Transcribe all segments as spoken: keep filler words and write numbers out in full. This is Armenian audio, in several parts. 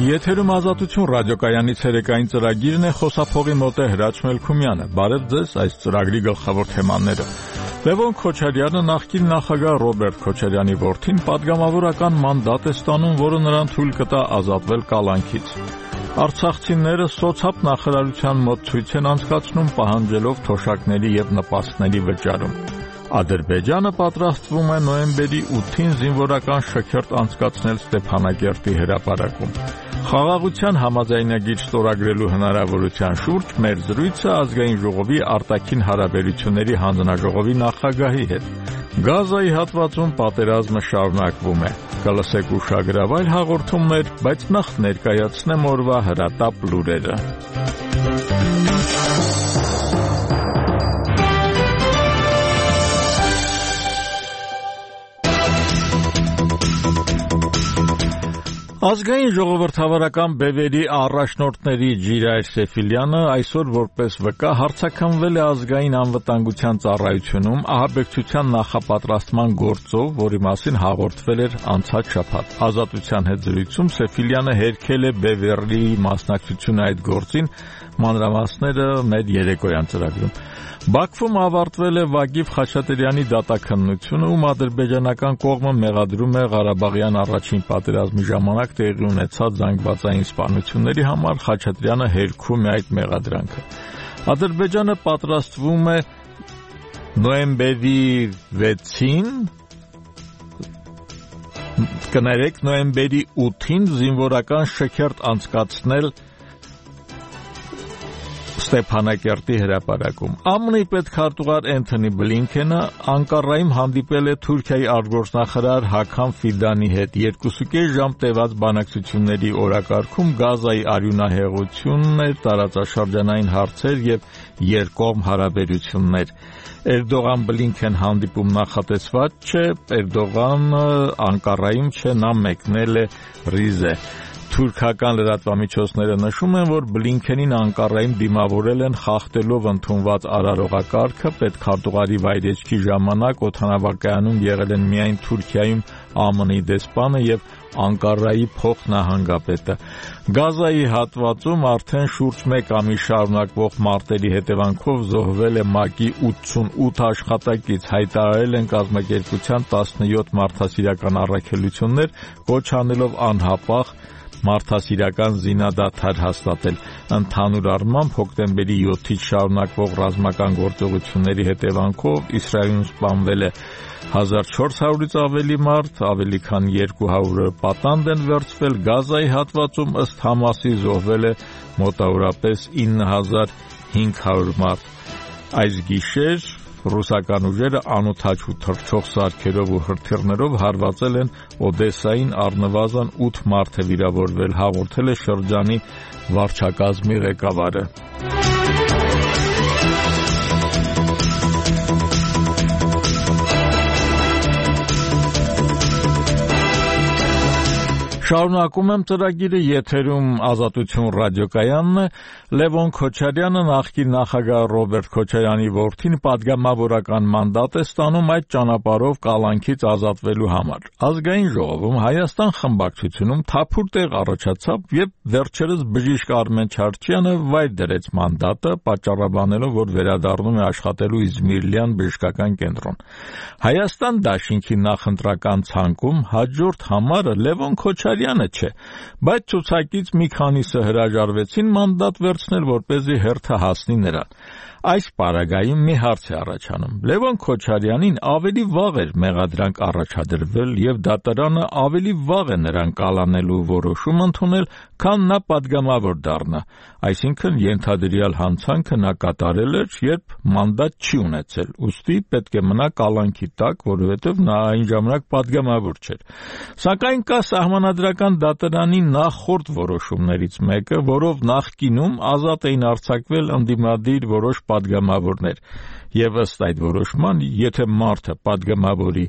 Եթերում Ազատություն ռադիոկայանի ցերեկային ծրագիրն է, խոսափողի մոտ է Հրաչ Մելքումյանը։ Բարև ձեզ, այս ծրագրի գլխավոր թեմաները։ Լևոն Քոչարյանը նախկին նախագահ Ռոբերտ Քոչարյանի որդին պատգամավորական մանդատ է ստանում, որը նրան թույլ կտա ազատվել կալանքից։ Արցախցիները սոցապ նախարարության մոտ ցույց են անցկացնում, պահանջելով թոշակների եւ նպաստների վճարում։ Ադրբեջանը պատրաստվում է նոյեմբերի ութին զինվորական շքերթ անցկացնել Ստեփանակերտի հրապարակում։ Խաղաղության համաձայնագիր ստորագրելու հնարավորության շուրջ մեր զրույցը ազգային ժողովի արտաքին հարաբերությունների հանձնաժողովի նախագահի հետ։ Գազայի հատվածում պատերազմը շարունակվում է։ Կլսեք ուշագրավայր հաղորդումներ, բայց նախ ներկայացնեմ օրվա հրատապ լուրերը։ Ազգային ժողովրդավարական բևերի առաջնորդների Ջիրայր Սեֆիլյանը այսօր որպես վկա հարցաքննվել է ազգային անվտանգության ծառայությունում ահաբեկչության նախապատրաստման գործով, որի մասին հաղորդվել էր անցած շաբաթ։ Ազատության հետ զրույցում Սեֆիլյանը հերքել է բևերի մասնակցությունը այդ գործին, մանրամասները մեր երեկոյան ծրագրում։ Բաքվում ավարտվել է Վագիվ Խաչատրյանի դատաքննությունը, ում ադրբեջանական կողմը մեղադրում է Ղարաբաղյան առաջին պատերազմի ժամանակ տեղի ունեցած զանգվածային սպանությունների համար, Խաչատրյանը հերքում է այդ մեղադրանքը։ Ադրբեջանը պատրաստվում է նոյեմբերի վեցին, կներեք նոյեմբերի ութին զինվորական շքերթ անցկացնել Ստեփանակերտի հրապարակում։ ԱՄՆ-ի պետքարտուղար Էնթոնի Բլինքենը Անկարայում հանդիպել է Թուրքիայի արտգործնախարար Հաքամ Ֆիդանի հետ։ Երկուսուկես ժամ տևած բանակցությունների օրակարգում Գազայի արյունահեղությունն էր, տարածաշրջանային հարցեր եւ երկկողմ հարաբերություններ։ Էրդողան-Բլինքեն հանդիպում նախատեսված չէ, Էրդողանը Անկարայում չէ, նա մեկնել է Ռիզե։ Թուրքական լրատվամիջոցները նշում են, որ Բլինքենին Անկարայում դիմավորել են խախտելով ընդունված արարողակարգը, պետքարտուղարի վայրեջքի ժամանակ օդանավակայանում եղել են միայն Թուրքիայում ԱՄՆ-ի դեսպանը եւ Անկարայի փոխնահանգապետը։ Գազայի հատվածում արդեն շուրջ մեկ ամիս շարունակվող մարտերի հետևանքով զոհվել է ՄԱԿ-ի ութսունութ աշխատակից, հայտարարել են կազմակերպության տասնյոթ մարդասիրական առաքելություններ, կոչ անելով անհապաղ մարդասիրական զինադադար հաստատել։ Ընդհանուր առմամբ հոկտեմբերի յոթից շարունակվող ռազմական գործողությունների հետևանքով Իսրայելում սպանվել է հազար չորս հարյուրից ավելի մարդ, ավելի քան երկու հարյուրը պատանդ են վերցվել։ Գազայի հատվածում ըստ Համասի զոհվել է մոտավորապես ինը հազար հինգ հարյուր մարդ։ Այս գիշեր ռուսական ուժերը անօդաչու թռչող սարքերով ու հրթիռներով հարվածել են Օդեսային, առնվազն ութ մարդ է վիրավորվել, հաղորդել է շրջանի վարչակազմի ղեկավարը։ Շարունակում եմ ծրագիրը, եթերում Ազատություն ռադիոկայանն է։ Լևոն Քոչարյանը նախկին նախագահ Ռոբերտ Քոչարյանի որդին պատգամավորական մանդատ է ստանում այդ ճանապարհով կալանքից ազատվելու համար։ Ազգային ժողովում Հայաստան խմբակցությունում թափուր տեղ առաջացավ, եւ վերջերս բժիշկ Արմեն Չարչյանը վայր դրեց մանդատը, պատճառաբանելով, որ վերադառնում է աշխատելու Իզմիլյան բժշկական կենտրոն։ Հայաստան դաշինքի նախընտրական ցանկում հաջորդ համարը Լևոն Քոչարյանը չէ, բայց ցուցակից մի քանիսը հրաժարվեցին մանդատ վերցնել, որպեսզի հերթը հասնի նրան։ Այս պարագայում մի հարց է առաջանում. Լևոն Քոչարյանին ավելի վաղ էր մեղադրանք առաջադրվել եւ դատարանը ավելի վաղ է նրան կալանելու որոշում ընդունել, քան նա պատգամավոր դառնա, այսինքն ենթադրյալ հանցանքը նա կատարել էր, երբ մանդատ չի ունեցել, ուստի պետք է մնա կալանքի տակ, որովհետեւ նա այն ժամանակ պատգամավոր չէր։ Սակայն կա սահմանադրական դատարանի նախորդ որոշումներից մեկը, որով նախկինում ազատ էին արձակվել ընդդիմադիր որոշ պատգամավորներ, եւ ըստ այդ որոշման, եթե մարդը պատգամավորի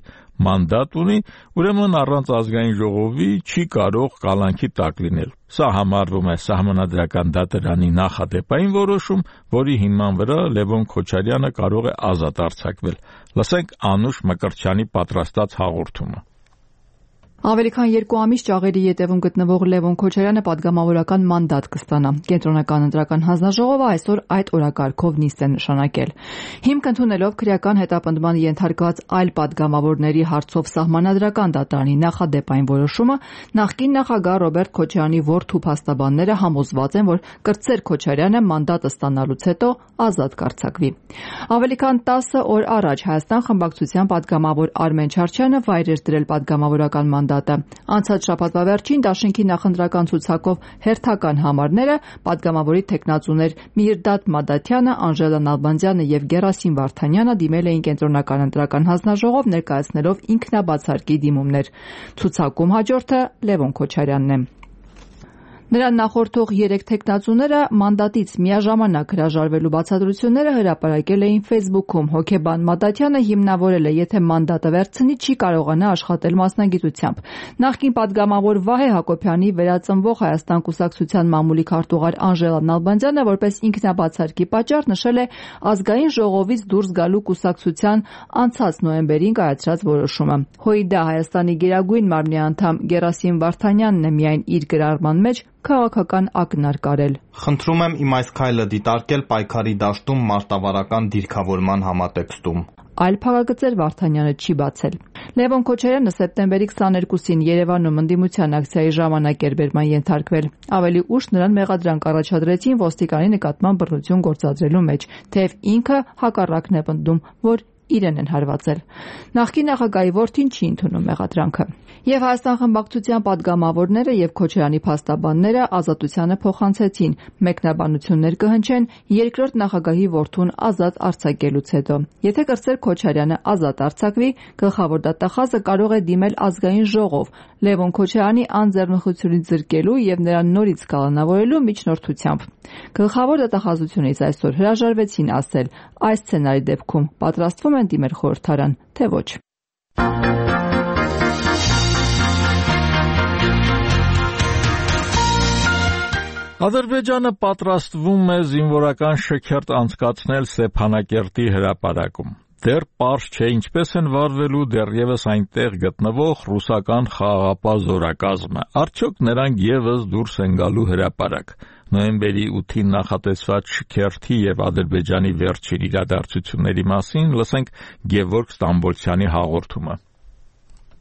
մանդատ ունի, ուրեմն առանց ազգային ժողովի չի կարող կալանքի տակ լինել։ Սա համարվում է սահմանադրական դատարանի նախադեպային որոշում, որի հիման վրա Լևոն Քոչարյանը կարող է ազատ արձակվել։ Լսենք Անուշ Մկրտչյանի պատրաստած հաղորդումը։ Ավելի քան երկու ամիս ճաղերի ետևում գտնվող Լևոն Քոչարյանը պատգամավորական մանդատ կստանա։ Կենտրոնական ընտրական հանձնաժողովը այսօր այդ օրակարգով նիստ է նշանակել։ Հիմք ընդունելով քրեական հետապնդման ենթարկված այլ պատգամավորների հարցով սահմանադրական դատարանի նախադեպ այն որոշումը, նախկին նախագահ Ռոբերտ Քոչարյանի որդու փաստաբանները համոզված են, որ կրտսեր Քոչարյանը մանդատը ստանալուց հետո ազատ կարձակվի։ Ավելի քան տասը օր առաջ Հայաստան խմբակցության պատգամավոր Արմեն Չարչյանը վայր էր դրել պատգամավորական մանդատը։ Անցած շաբաթվա վերջին Դաշինքի նախընտրական ցուցակով հերթական համարները պատգամավորի թեկնածուներ Միրդադ Մադաթյանը, Անժելա Նալբանդյանը եւ Գերասիմ Վարդանյանը դիմել էին Կենտրոնական ընտրական հանձնաժողով ներկայացնելով ինքնաբացարկի դիմումներ։ Ցուցակում հաջորդը Լևոն Քոչարյանն է։ Նրան նախորդող երեք թեկնածուները մանդատից միաժամանակ հրաժարվելու բացատրությունները հրապարակել էին Facebook-ում։ Հոգեբան Մադաթյանը հիմնավորել է, եթե մանդատը վերցնի, չի կարողանա աշխատել մասնագիտությամբ։ Նախկին պատգամավոր Վահե Հակոբյանի վերածնվող Հայաստան կուսակցության մամուլի քարտուղար Անժելա Նալբանդյանը որպես ինքնաբացարկի պատճառ նշել է ազգային ժողովից դուրս գալու կուսակցության անցած նոյեմբերին կայացրած որոշումը։ ՀՅԴ Հայաստանի Գերագույն մարմնի անդամ Գերասիմ Վարդանյանն է միայն իր գրառման մեջ քաղաքական ակնարկ արել։ Խնդրում եմ իմ այս քայլը դիտարկել պայքարի դաշտում մարտավարական դիրքավորման համատեքստում։ Այլ փակագծեր Վարդանյանը չի բացել։ Լևոն Քոչարյանը սեպտեմբերի քսաներկուսին Երևանում ընդդիմության ակցիայի ժամանակ էր բերման ենթարկվել։ Ավելի ուշ նրան մեղադրանք առաջադրեցին ոստիկանի նկատմամբ բռնություն գործադրելու մեջ, թեև ինքը հակառակն է պնդում, որ իրեն են հարվածել։ Նախկին նախագահի որդին չի ընդունում մեղադրանքը։ Եվ Հայաստան խմբակցության պատգամավորները եւ Քոչարյանի փաստաբանները ազատությանը փոխանցեցին, մեկնաբանություններ կհնչեն երկրորդ նախագահի որդուն ազատ արձակելուց հետո։ Եթե կրտսեր Քոչարյանը ազատ արձակվի, գլխավոր դատախազը կարող է դիմել ազգային ժողով Լևոն Քոչարյանի անձեռնխությունից զրկելու եւ նրան նորից կալանավորելու միջնորդությամբ։ Գլխավոր դատախազությունից այսօր հրաժարվեցին ասել, այս սցենարի դեպքում պատրաստվում են դիմել խորհրդարան, թե ոչ։ Ադրբեջանը պատրաստվում է զինվորական շքերթ անցկացնել Ստեփանակերտի հրապարակում։ Դեռ պարզ չէ ինչպես են վարվելու դեռևս այնտեղ գտնվող ռուսական խաղաղապահ զորակազմը։ Արդյոք նրանք ևս դուրս են գալու հրապարակ։ Նոյեմբերի ութին նախատեսված շքերթի եւ Ադրբեջանի վերջին իրադարձությունների մասին լսենք Գևորգ Ստամբոլցյանի հաղորդումը։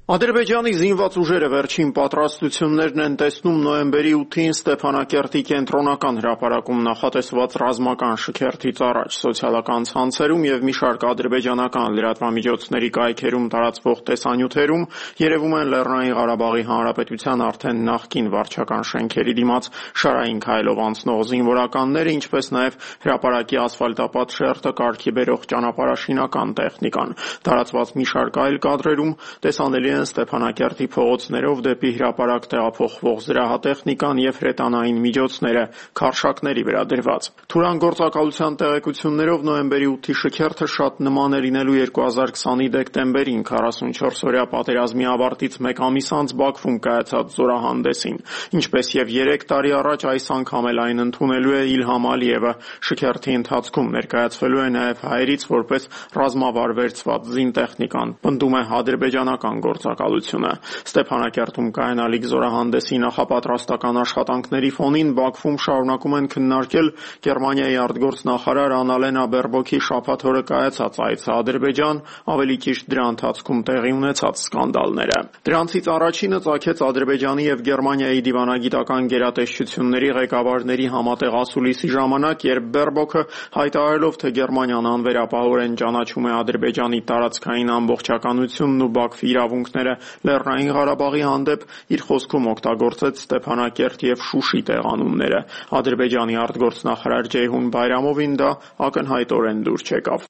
Ադրբեջանի զինված ուժերը վերջին պատրաստություններն են տեսնում նոյեմբերի ութին Ստեփանակերտի կենտրոնական հրապարակում նախատեսված ռազմական շքերթից առաջ։ Սոցիալական ցանցերում եւ մի շարք ադրբեջանական լրատվամիջոցների կայքերում տարածվող տեսանյութերում երևում են Լեռնային Ղարաբաղի Հանրապետության արդեն նախկին վարչական շենքերի դիմաց շարային քայլով անցնող զինվորականները, ինչպես նաեւ հրապարակի ասֆալտապատ շերտը կարգի բերող ճանապարհաշինական տեխնիկան։ Տարածված մի շարք այլ կադրերում տեսանելի Ստեփանակերտի փողոցներով դեպի հրապարակ տեղափոխվող զրահատեխնիկան եւ հրետանային միջոցները քարշակների վրա դրված։ Թուրան գործակալության տեղեկություններով նոյեմբերի ութի շքերթը շատ նման է լինելու երկու հազար քսանի դեկտեմբերին քառասունչորս-օրյա պատերազմի ավարտից մեկ ամիս անց Բաքվում կայացած զորահանդեսին։ Ինչպես եւ երեք տարի առաջ այս անգամ էլ այն ընդունելու է Իլհամ Ալիևը։ Շքերթի ընթացքում ներկայացվելու է նաեւ հայերից որպես ռազմավար վերցված զինտեխնիկան, պնդում է ադրբեջանական գործակալությունը։ Ստեփանակերտում կայանալիք զորահանդեսի նախապատրաստական աշխատանքների ֆոնին Բաքվում շարունակում են քննարկել Գերմանիայի արտգործնախարար Անալենա Բերբոքի շաբաթ օրը կայացած այցը Ադրբեջան, ավելի ճիշտ դրա ընթացքում տեղի ունեցած սկանդալները։ Դրանցից առաջինը ծագեց Ադրբեջանի եւ Գերմանիայի դիվանագիտական գերատեսչությունների ղեկավարների համատեղ ասուլիսի ժամանակ, երբ Բերբոքը հայտարարելով, թե Գերմանիան անվերապահորեն ճանաչում է Ադրբեջանի տարածքային ամբողջականությունն ու Բաքվի իրավունքները Լեռնային Ղարաբաղի հանդեպ, իր խոսքում օգտագործեց Ստեփանակերտ եւ Շուշի տեղանունները։ Ադրբեջանի արտգործնախարար Ջեյհուն Բայրամովին դա ակնհայտորեն դուր չեկավ։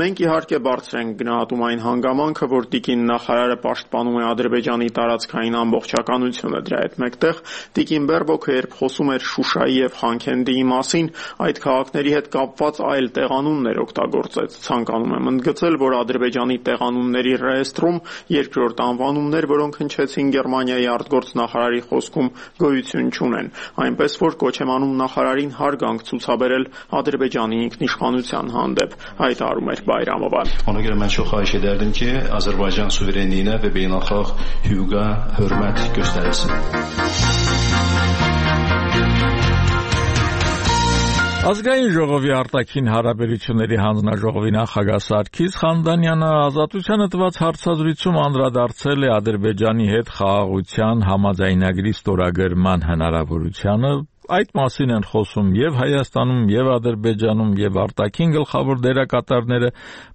Մենք իհարկե բարձր ենք գնահատում այն հանգամանքը, որ տիկին նախարարը պաշտպանում է Ադրբեջանի տարածքային ամբողջականությունը։ Դրա հետ մեկտեղ տիկին Բերբոքը, երբ խոսում էր Շուշայի եւ Խանքենդիի մասին, այդ քաղաքների հետ կապված այլ տեղանուններ օգտագործեց։ Ցանկանում եմ ընդգծել, որ Ադրբեջանի տեղանունների գործընթացների ռեեստրում, երկրորդ անվանումներ, որոնք հնչեցին Գերմանիայի արտգործնախարարի խոսքում, գոյություն չունեն, այնպես որ կոչ եմ անում նախարարին հարգանք ցուցաբերել Ադրբեջանի ինքնիշխանության հանդեպ, հայտարարում էր Բայրամովը։ Ona mən çox xahiş edərdim ki, Azərbaycan suverenliyinə və beynəlxalq hüquqa hörmət göstərilsin. Ազգային ժողովի արտաքին հարաբերությունների հանձնաժողովի նախագահ Սարգիս Խանդանյանը Ազատությանը տված հարցազրույցում անդրադարձել է Ադրբեջանի հետ խաղաղության համաձայնագրի ստորագրման հնարավորությանը. Այդ մասին են խոսում եւ Հայաստանում, եւ Ադրբեջանում, եւ արտաքին գլխավոր դերակատարները,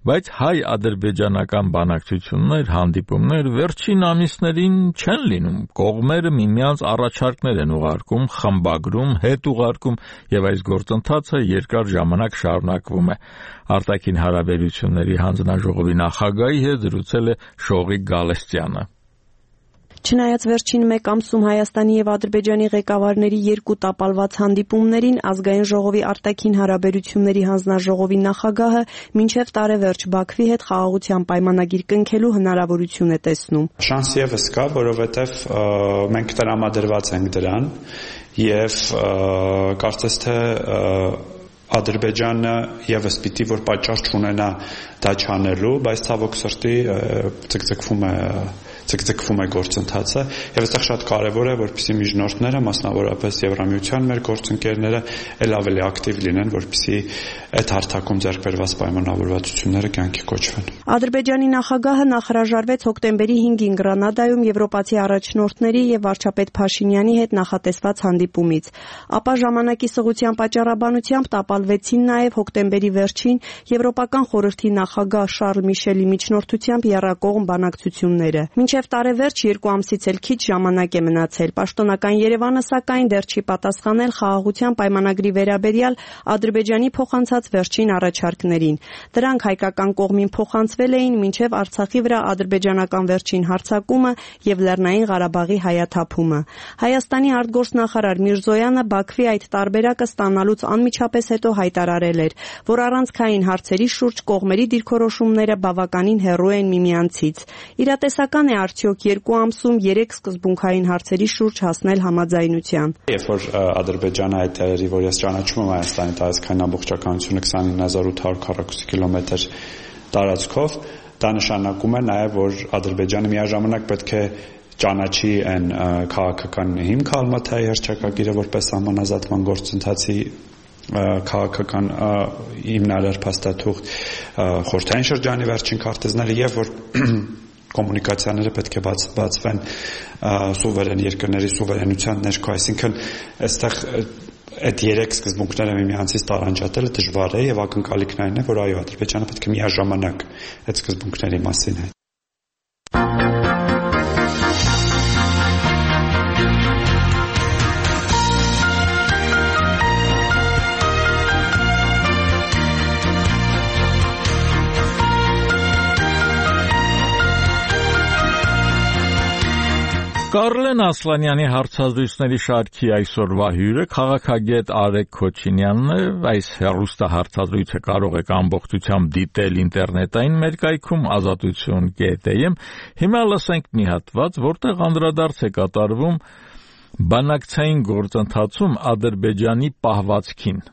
բայց հայ-ադրբեջանական բանակցություններ, հանդիպումներ վերջին ամիսներին չեն լինում։ Կողմերը միմյանց առաջարկներ են ուղարկում, խմբագրում, հետ ուղարկում, եւ այս գործընթացը երկար ժամանակ շարունակվում է։ Արտաքին հարաբերությունների հանձնաժողովի նախագահի հետ զրուցել է Շողիկ Գալստյանը։ Չնայած վերջին մեկ ամսում Հայաստանի եւ Ադրբեջանի ղեկավարների երկու տապալված հանդիպումներին ազգային ժողովի արտաքին հարաբերությունների հանձնաժողովի նախագահը մինչեւ տարեվերջ Բաքվի հետ խաղաղության պայմանագիր կնքելու հնարավորություն է տեսնում։ Շանս եւս կա, որովհետեւ մենք տրամադրված ենք դրան եւ կարծես թե Ադրբեջանը եւս պիտի որ պատճառ չունենա դա չանելու, բայց ցավոք սրտի ցկցկվում է ցկցկվում է գործընթացը եւ այստեղ շատ կարեւոր է որպեսզի միջնորդները, մասնավորապես Եվրամիության մեր գործընկերները ել ավելի ակտիվ լինեն, որպեսզի այդ հարթակում ձեռք բերված պայմանավորվածությունները կյանքի կոչվեն։ Ադրբեջանի նախագահը նախհրաժարվեց հոկտեմբերի հինգին Գրանադայում եվրոպացի առաջնորդների եւ վարչապետ Փաշինյանի հետ նախատեսված հանդիպումից, ապա ժամանակի սղության պատճառաբանությամբ տապալվեցին նաեւ հոկտեմբերի վերջին Եվրոպական խորհրդի նախագահ Շարլ Միշելի միջնորդությամբ եռակողմ բանակցությունները։ Մինչև տարեվերջ երկու ամսից էլ քիչ ժամանակ է մնացել։ Պաշտոնական Երևանը սակայն դեռ չի պատասխանել խաղաղության պայմանագրի վերաբերյալ Ադրբեջանի փոխանցած վերջին առաջարկներին։ Դրանք հայկական կողմին փոխանցվել էին մինչև Արցախի վրա ադրբեջանական վերջին հարձակումը եւ Լեռնային Ղարաբաղի հայաթափումը։ Հայաստանի արտգործնախարար Միրզոյանը Բաքվի այդ տարբերակը ստանալուց անմիջապես հետո հայտարարել էր, որ առանցքային հարցերի շուրջ կողմերի դիրքորոշումները բավականին հեռու են միմյանցից։ Իրատեսական է արդյոք երկու ամսում երեք սկզբունքային հարցերի շուրջ հասնել համաձայնության։ Երբ որ Ադրբեջանը հայտարարի, որ ես ճանաչում եմ Հայաստանի տարածքային ամբողջականությունը քսանինը հազար ութ հարյուր քառակուսի կիլոմետր տարածքով, դա նշանակում է նաև, որ Ադրբեջանը միաժամանակ պետք է ճանաչի այն քաղաքական հիմքը Ալմաթայի հռչակագիրը որպես համանազատման գործընթացի քաղաքական հիմնարար փաստաթուղթ, խորհրդային շրջանի վերջին քարտեզները եւ որ կոմունիկացիաները պետք է բաց, բացվեն սուվերեն երկրների սուվերենության ներքո, այսինքն այստեղ այդ երեք սկզբունքները միմյանցից տարանջատելը դժվար է եւ ակնկալիքն այն է, որ այո, Ադրբեջանը պետք է միաժամանակ այդ սկզբունքների մասին հայտարարի։ Կարլեն Ասլանյանի հարցազրույցների շարքի այսօրվա հյուրը քաղաքագետ Արեգ Քոչինյանն է։ Այս հեռուստահարցազրույցը կարող եք ամբողջությամբ դիտել ինտերնետային մեր կայքում ազատություն կետ էմ։ Հիմա լսենք մի հատված, որտեղ անդրադարձ է կատարվում բանակցային գործընթացում Ադրբեջանի պահվածքին։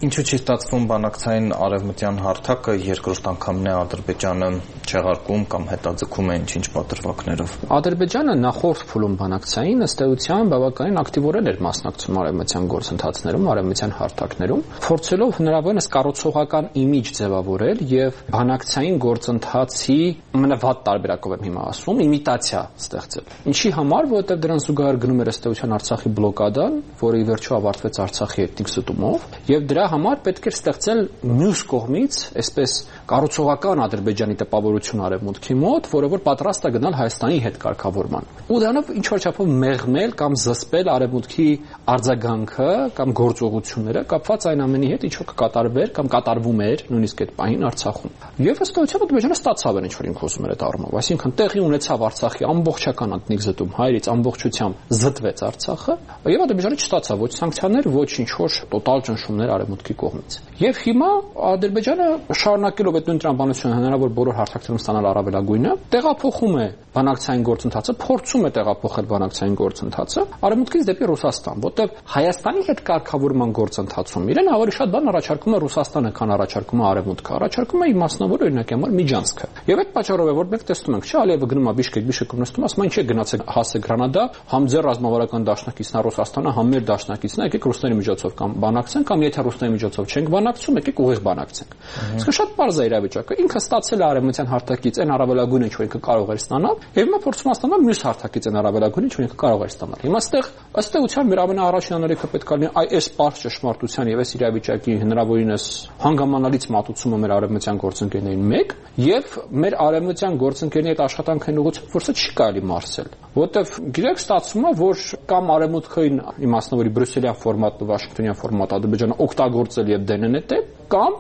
Ինչու՞ չի ստացվում բանակցային արևմտյան հարթակը երկրորդ անգամն է Ադրբեջանը չեղարկում կամ հետաձգում է ինչ-ինչ պատրվակներով։ Ադրբեջանը նախորդ փուլում բանակցային ըստ էության բավականին ակտիվորեն էր մասնակցում արևմտյան գործընթացներում, արևմտյան հարթակներում, փորձելով հնարավորինս կառուցողական իմիջ ձևավորել եւ բանակցային գործընթացի ամենավատ տարբերակով եմ հիմա ասում, իմիտացիա ստեղծել։ Ինչի համար, որովհետեւ դրան զուգահեռ գնում էր ըստ էության Արցախի բլոկադան, որը ի վերջո ավարտվեց Արցախի էթնիկ ստումով, եւ դրա համար պետք էր ստեղծել մյուս կողմից, այսպես կառուցողական Ադրբեջանի տպավորություն արևմուտքի մոտ, որը որ պատրաստ է գնալ Հայաստանի հետ կարգավորման։ Ու դրանով ինչ որ չափով մեղմել կամ զսպել արևմուտքի արձագանքը կամ գործողությունները կապված այն ամենի հետ, ինչ որ կկատարվեր կամ կատարվում էր նույնիսկ այդ պահին Արցախում։ Եվ ըստ էության Ադրբեջանը ստացավ այն ինչ որ ինքը խոսում էր այդ առումով, այսինքն տեղի ունեցավ Արցախի ամբողջական էթնիկ զտում, հայերից ամբողջությամբ զտվեց Արցախը, եւ Ադրբեջանը չստացավ ոչ սանկցիաներ, ոչ ինչ որ տոտալ ճնշումներ արևմուտքի արևմուտքի կողմից։ Եվ հիմա Ադրբեջանը շարունակելով այդ նույն տրամաբանությունը հնարավոր բոլոր հարթակներում ստանալ առավելագույնը, տեղափոխում է բանակցային գործընթացը, փորձում է տեղափոխել բանակցային գործընթացը արևմուտքից դեպի Ռուսաստան, որտեղ Հայաստանի հետ կարգավորման գործընթացում իրեն ավելի շատ բան առաջարկում է Ռուսաստանը, քան առաջարկում է արևմուտքը, առաջարկում է իմաստնավոր օրինակ համար Միջանցքը։ Եվ այդ պատճառով է, որ մենք տեսնում ենք, չէ, Ալիևը գնում է Բիշկեք, Բիշկեկում նստում, ասում է, ինչ է գնացեք հասե Գրանադա, համ ձեր ռազմավարական դաշնակիցն է Ռուսաստանը, համ մեր դաշնակիցն է, եկեք ռուսների միջոցով կամ բանակցենք, կամ եթե ռուսների միջոցով չենք բանակցում, եկեք ուղիղ բանակցենք։ Իսկ շատ པարզ է իրավիճակը։ Ինքը ստացել է արևմտյան հարթակից այն առավելագույնը, ինչ որ ինքը կարող էր ստանալ, եւ հիմա փորձում է ստանալ մյուս հարթակից այն առավելագույնը, ինչ որ ինքը կարող էր ստանալ։ Հիմա այստեղ ըստ էության մեր ամենաառաջին անելիքը պետք է լինի այս པարզ ճշմարտության եւ այս իրավիճակի հնարավորինս հանգամանալից մատուցումը մեր արևմտյան գործընկերներին մեկ եւ մեր արևմտյան գործընկերների այդ աշխատանքային ուղղությամբ, որ սա չի կարելի մարսել, որտեվ գիտեք ստացվում է, որ կամ արևմուտքային իմաստնավորի բրյուսելյան ֆորմատը, վաշինգտոնյան ֆորմատը Ադրբեջանը օգտագործել եւ դենեն է, կամ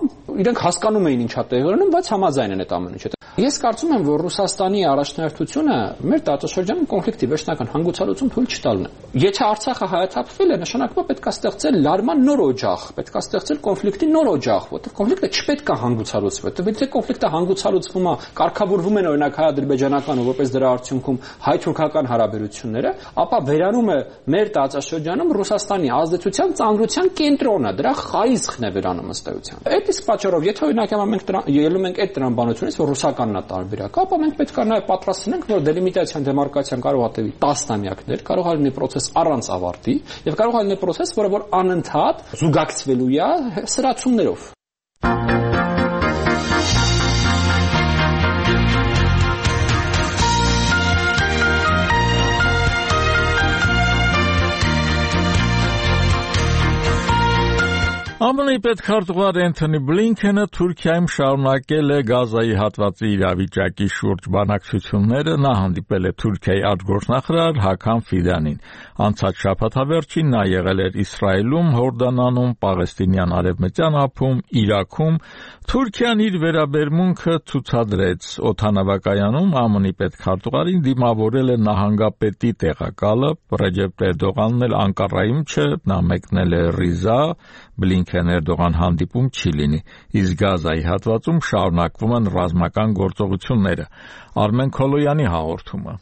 իրենք հասկանում էին ինչա տեղի ունենում, բայց համաձայն են այդ ամեն ինչը։ Ես կարծում եմ, որ Ռուսաստանի առաջնահերթությունը մեր տարածաշրջանում կոնֆլիկտի վերջնական հանգուցալուծում թույլ չտալն է։ Եթե Արցախը հայաթափվել է, նշանակում է պետք է ստեղծել լարման նոր օջախ, պետք է ստեղծել կոնֆլիկտի նոր օջախ, որտեղ կոնֆլիկտը չպետք է հանգուցալուծվի, որտեղ եթե կոնֆլիկտը հանգուցալուծվում է, կարգավորվում են օրինակ հայ-ադրբեջանական ու որպես դրա արդյունքում հայ-թուրքական հարաբերությունները, ապա վերանում է մեր տարածաշրջանում Ռուսաստանի ազդեցության ծանրության կենտրոնը, դրա խարիզքն է վերանում ըստ էության։ Այդ իսկ պատճառով, եթե օրինակ մենք ելնում ենք այդ տրամաբանությունից, որ ռուսականն է տարբերակը, ապա մենք պետք է նաև պատրաստ լինենք, որ դելիմիտացիան, դեմարկացիան կարող է տևի տասնամյակներ, կարող է լինի process առանց ավարտի, եւ կարող է լինի process, որը որ անընդհատ զուգակցվելու է սրացումներով։ Ամն Ամն-ի պետքարտուղար Էնթոնի Բլինքենը Թուրքիայում շարունակել է Գազայի հատվածի իրավիճակի շուրջ բանակցությունները, նա հանդիպել է Թուրքիայի արտգործնախարար Հական Ֆիդանին։ Անցած շաբաթավերջին նա եղել էր Իսրայելում, Հորդանանում, Պաղեստինյան արևմտյան ափում, Իրաքում։ Թուրքիան իր վերաբերմունքը ցուցադրեց օդանավակայանում ԱՄՆ-ի պետքարտուղարին դիմավորել է նահանգապետի տեղակալը Ռեջեփ Էրդողանն էլ Անկարայում չէ, նա մեկնել է Ռիզա, Բլինքեն Էրդողան հանդիպում չի լինի, իսկ Գազայի հատվածում շարունակվում են ռազմական գործողությունները։ Արմեն Քոլոյանի հաղորդումը։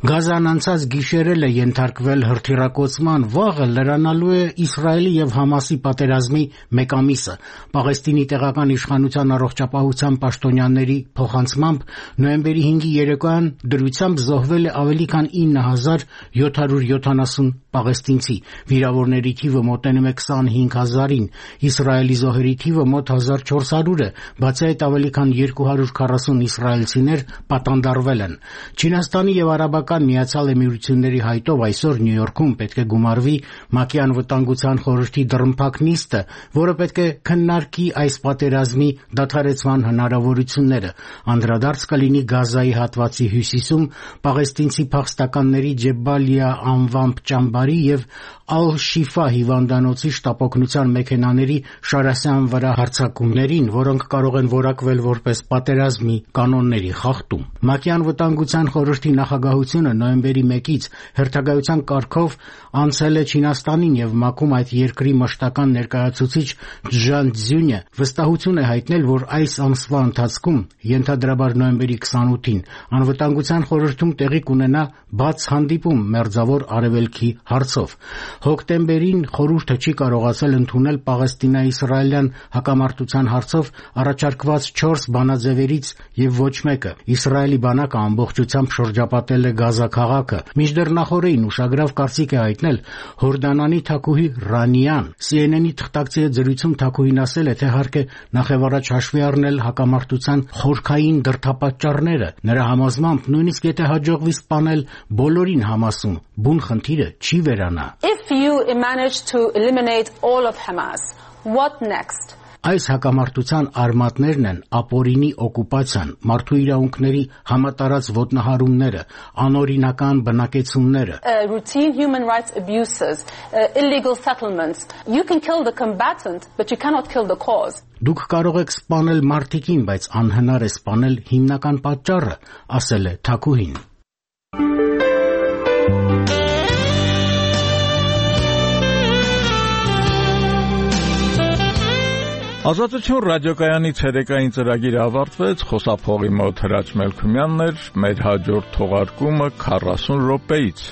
Գազան անցած գիշերել է ենթարկվել հրթիռակոծման, վաղը լրանալու է Իսրայելի եւ Համասի պատերազմի մեկ ամիսը։ Պաղեստինի տեղական իշխանության առողջապահության պաշտոնյաների փոխանցմամբ նոյեմբերի հինգի երեկոյան դրությամբ զոհվել է ավելի քան ինը հազար յոթ հարյուր յոթանասուն պաղեստինցի, վիրավորների թիվը մոտենում է քսանհինգ հազարին, Իսրայելի զոհերի թիվը մոտ հազար չորս հարյուր է, բացի այդ ավելի քան երկու հարյուր քառասուն իսրայելցիներ պատանդարվել են։ Չինաստանի եւ Արաբական Միացյալ Էմիրությունների հայտով այսօր Նյու Յորքում պետք է գումարվի ՄԱԿ-ի անվտանգության խորհրդի դռնփակ նիստը, որը պետք է քննարկի այս պատերազմի դադարեցման հնարավորությունները։ Անդրադարձ կլինի Գազայի հատվածի հյուսիսում պաղեստինցի փախստականների Ջեբալիա անվամբ ճամբարի եւ Ալ-Շիֆա հիվանդանոցի շտապօգնության մեքենաների Շարասյան վրա հարձակումներին, որոնք կարող են որակվել որպես պատերազմի կանոնների խախտում։ ՄԱԿ-ի անվտանգության խորհրդի նախագահությունը նոյեմբերի մեկից հերթագայության կարգով անցել է Չինաստանին եւ ՄԱԿ-ում այդ երկրի մշտական ներկայացուցիչ Ջան Ձյունյը վստահություն է հայտնել, որ այս ամսվա ընթացքում, ենթադրաբար նոյեմբերի քսանութին, անվտանգության խորհրդում տեղի կունենա բաց հանդիպում Մերձավոր Արևելքի հարցով։ Հոկտեմբերին խորհուրդը չի կարողացել ընդունել Պաղեստինա-իսրայելյան հակամարտության հարցով առաջարկված չորս բանաձևերից եւ ոչ մեկը։ Իսրայելի բանակը ամբողջությամբ շրջապատել է Գազա քաղաքը։ Մինչդեռ նախորդին ուշագրավ կարծիք է հայտնել Հորդանանի թագուհի Ռանիան։ Սի Էն Էն-ի թղթակցի հետ զրույցում թագուհին ասել է, թե հարկ է նախևառաջ հաշվի առնել հակամարտության խորքային դրդապատճառները։ Նրա համոզմամբ նույնիսկ եթե հաջողվի սպանել բոլորին Համասում, բուն խնդիրը չի վերանա։ If you manage to eliminate all of Hamas, what next? Այս հակամարտության արմատներն են ապօրինի օկուպացիան, մարդու իրավունքների համատարած ոտնահարումները, անօրինական բնակեցումները, uh, routine human rights abuses, uh, illegal settlements. You can kill the combatant, but you cannot kill the cause. Դուք կարող եք սպանել մարտիկին, բայց անհնար է սպանել հիմնական պատճառը, ասել է թագուհին։ Ազատություն ռադիոկայանի ցերեկային ծրագիրը ավարտվեց, խոսափողի մոտ Հրաչ Մելքումյանն էր, մեր հաջորդ թողարկումը քառասուն րոպեից։